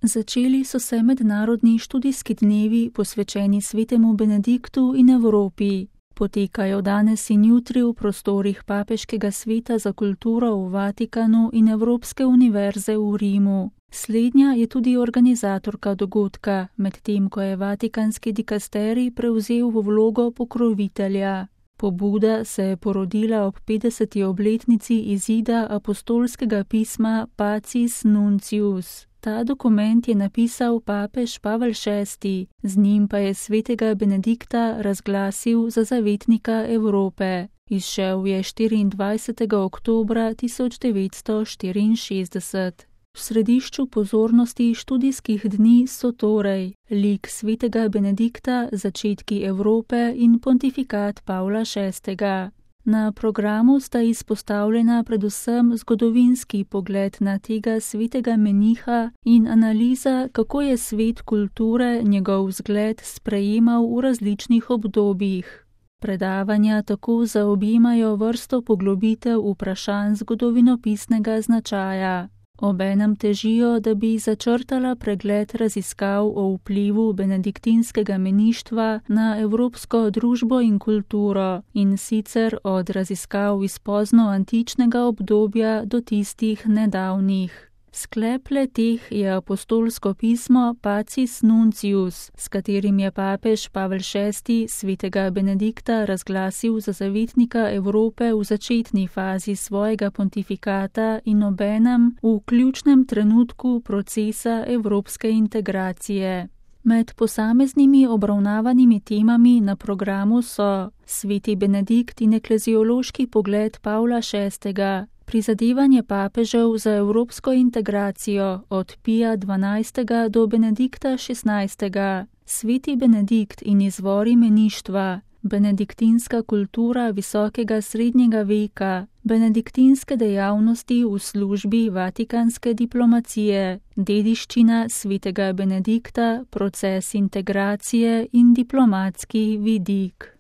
Začeli so se mednarodni študijski dnevi posvečeni svetemu Benediktu in Evropi. Potekajo danes in jutri v prostorih Papeškega sveta za kulturo v Vatikanu in Evropske univerze v Rimu. Slednja je tudi organizatorka dogodka, medtem ko je vatikanski dikasterij prevzel v vlogo pokrovitelja. Pobuda se je porodila ob 50. obletnici izida apostolskega pisma Pacis Nuncius. Ta dokument je napisal papež Pavel VI, z njim pa je svetega Benedikta razglasil za zavetnika Evrope. Izšel je 24. oktobra 1964. V središču pozornosti študijskih dni so torej lik svetega Benedikta, začetki Evrope in pontifikat Pavla VI. Na programu sta izpostavljena predvsem zgodovinski pogled na tega svetega meniha in analiza, kako je svet kulture njegov vzgled sprejemal v različnih obdobjih. Predavanja tako zaobjemajo vrsto poglobitev vprašanj zgodovinopisnega značaja. Obenem težijo, da bi začrtala pregled raziskav o vplivu benediktinskega meništva na evropsko družbo in kulturo, in sicer od raziskav iz poznoantičnega obdobja do tistih nedavnih. Sklep le-teh je apostolsko pismo Pacis Nuncius, s katerim je papež Pavel VI svetega Benedikta razglasil za zavetnika Evrope v začetni fazi svojega pontifikata in obenem v ključnem trenutku procesa evropske integracije. Med posameznimi obravnavanimi temami na programu so sveti Benedikt in ekleziološki pogled Pavla VI, prizadevanje papežev za evropsko integracijo od Pija XII. Do Benedikta XVI., sveti Benedikt in izvori meništva, benediktinska kultura visokega srednjega veka, benediktinske dejavnosti v službi vatikanske diplomacije, dediščina svetega Benedikta, proces integracije in diplomatski vidik.